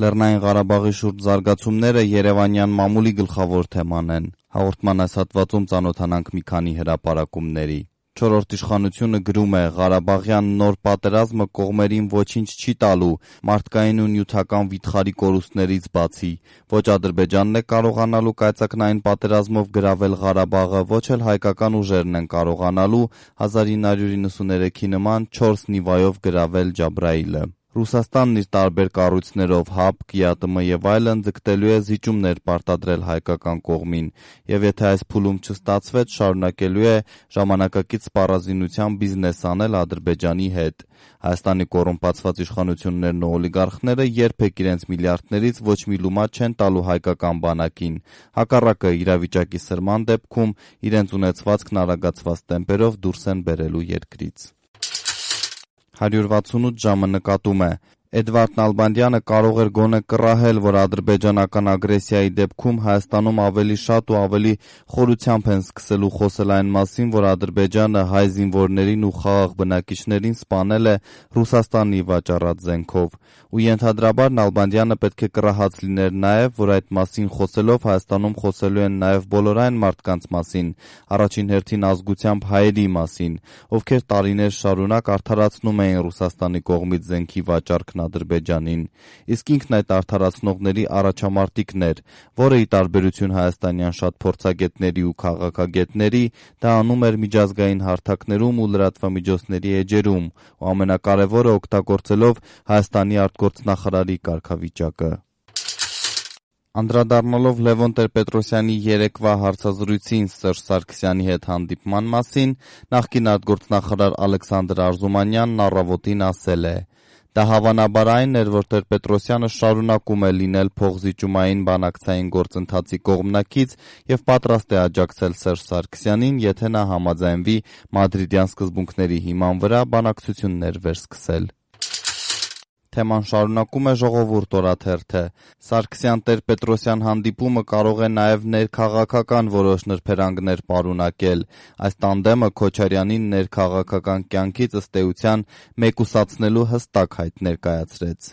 Լեռնային Ղարաբաղի շուրջ զարգացումները երևանյան մամուլի գլխավոր թեման են։ Հաղորդման այս հատվածում ծանոթանանք մի քանի հրապարակումների։ Չորրորդ իշխանությունը գրում է. Ղարաբաղյան նոր պատերազմը կողմերին ոչինչ չի տալու մարդկային ու նյութական վիթխարի կորուստներից բացի։ Ոչ Ադրբեջանն է կարողանալու կայծակնային պատերազմով գրավել Ղարաբաղը, ոչ էլ հայկական ուժերն են կարողանալու 1993-ի նման 4 նիվայով գրավել Ջաբրայիլը։ Ռուսաստանն իր տարբեր կառույցներով ՀԱՊԿ, ԵԱՏՄ և այլն ձգտելու է զիջումներ պարտադրել հայկական կողմին, և եթե այս փուլում չստացվեց, շարունակելու է ժամանակակից սպառազինությամբ բիզնես անել Ադրբեջանի հետ։ Հայաստանի կոռումպացված իշխանություններն ու օլիգարխները երբեք իրենց միլիարդներից ոչ մի լումա չեն տալու հայկական բանակին։ Հակառակը, իրավիճակի սրման դեպքում իրենց ունեցվածքն արագացված տեմպերով դուրս են բերելու երկրից։ 168 ժամը նկատում է. Էդվարդ Նալբանդյանը կարող էր գոնե կռահել, որ ադրբեջանական ագրեսիայի դեպքում Հայաստանում ավելի շատ ու ավելի խորությամբ են սկսելու խոսել այն մասին, որ Ադրբեջանը հայ զինվորներին ու խաղաղ բնակիչներին սպանել է Ռուսաստանի վաճառած զենքով։ Ու ենթադրաբար Նալբանդյանը պետք է կռահած լիներ նաև, որ այդ մասին խոսելով Հայաստանում խոսելու են նաև բոլոր այն մարդկանց մասին, առաջին հերթին ազգությամբ հայերի մասին, ովքեր տարիներ շարունակ արդարացնում էին Ռուսաստանի կողմից զենքի վաճառքն Ադրբեջանին։ Իսկ ինքն այդ արդարացնողների առաջամարտիկն էր, որը ի տարբերություն հայաստանյան շատ փորձագետների ու քաղաքագետների, դա անում էր միջազգային հարթակներում ու լրատվամիջոցների էջերում, ու ամենակարևորը օգտագործելով Հայաստանի արտգործնախարարի կարգավիճակը։ Անդրադառնալով Լևոն Տեր-Պետրոսյանի երեկվա հարցազրույցին Սերժ Սարգսյանի հետ հանդիպման մասին, նախկին արտգործնախարար Ալեքսանդր Արզումանյանն «Առավոտ»-ին ասել է. «Դա հավանաբար այն էր, որ Տեր-Պետրոսյանը շարունակում է լինել փոխզիջումային բանակցային գործընթացի կողմնակից և պատրաստ է աջակցել Սերժ Սարգսյանին, եթե նա համաձայնվի մադրիդյան սկզբունքների հիման վրա բանակցություններ վերսկսել»։ Թեման շարունակում է Ժողովուրդ օրաթերթը. Սարգսյան-Տեր-Պետրոսյան հանդիպումը կարող է նաև ներքաղաքական որոշ նրբերանգներ պարունակել։ Այս տանդեմը Քոչարյանին ներքաղաքական կյանքից ըստ էության մեկուսացնելու հստակ հայտ ներկայացրեց։